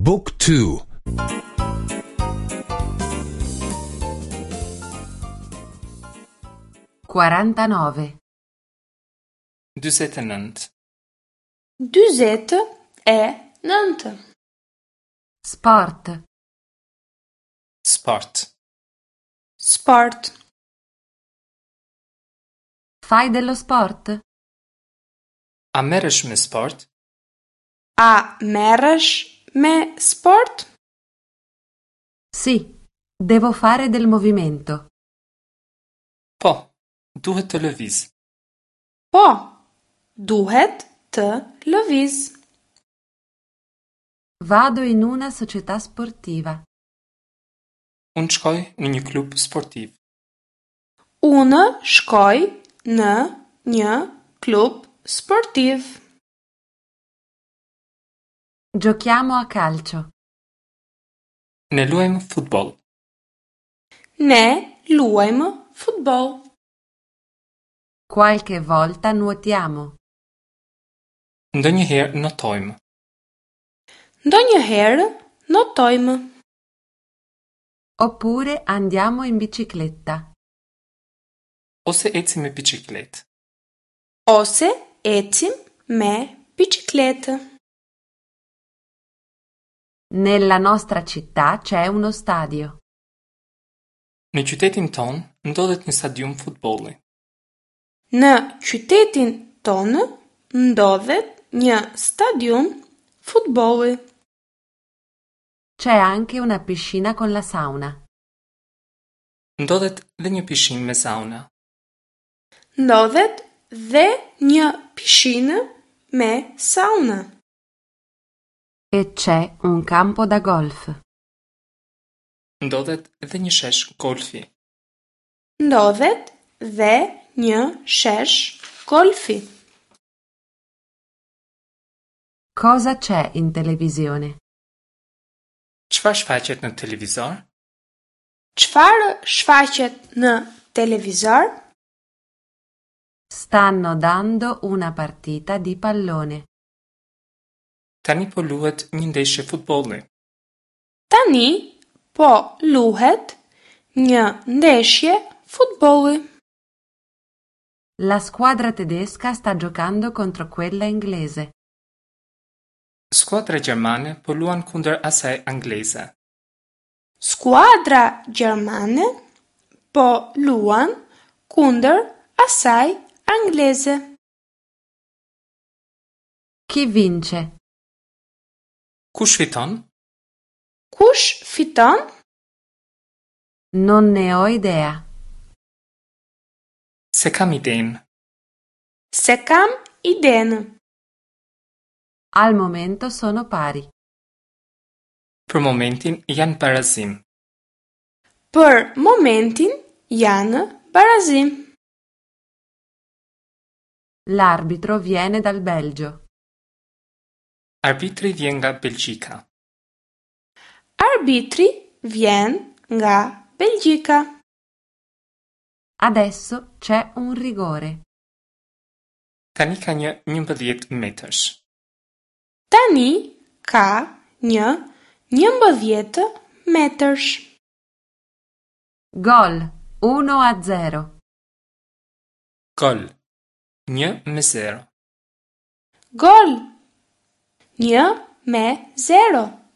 บุ๊กทู 49. 49. 49. Sport. Sport. Sport. Fai dello sport? A merresh me sport? A merresh me sport? Sì, devo fare del movimento. Po, duhet të lëviz. Po, duhet të lëviz. Vado in una società sportiva. Unë shkoj në një klub sportiv. Unë shkoj në një klub sportiv. Giochiamo a calcio. Ne luajmë futboll. Ne luajmë futboll. Qualche volta nuotiamo. Ndonjëherë notojmë. Ndonjëherë notojmë. Oppure andiamo in bicicletta. Ose ecim me biçikletë. Ose ecim me biçikletë. Nella nostra città c'è uno stadio. Në qytetin tonë ndodhet një stadium futbolli. Në qytetin tonë ndodhet një stadium futbolli. C'è anche una piscina con la sauna. Ndodhet dhe një pishinë me sauna. Ndodhet dhe një pishinë me sauna. E c'è un campo da golf. Ndodhet dhe një shesh golfi. Ndodhet dhe një shesh golfi. Cosa c'è in televisione? Çfarë shfaqet në televizor? Çfarë shfaqet në televizor? Stanno dando una partita di pallone. Tani po luhet një ndeshje futbolli. Tani po luhet një ndeshje futbolli. La squadra tedesca sta giocando contro quella inglese. Skuadra gjermane po luan kundër asaj angleze. Skuadra gjermane po luan kundër asaj angleze. Chi vince? Kush fiton? Kush fiton? Non ne ho idea. S'e kam idenë. S'e kam idenë. Al momento sono pari. Për momentin janë barazim. Për momentin janë barazim. L'arbitro viene dal Belgio. Arbitri vjen nga Belgjika. Arbitri vjen nga Belgjika. Adesso c'è un rigore. Tani ka një 11 metërsh. Tani ka një 11 metërsh. Gol 1-0. Gol. 1 me 0. Gol. 1 me 0.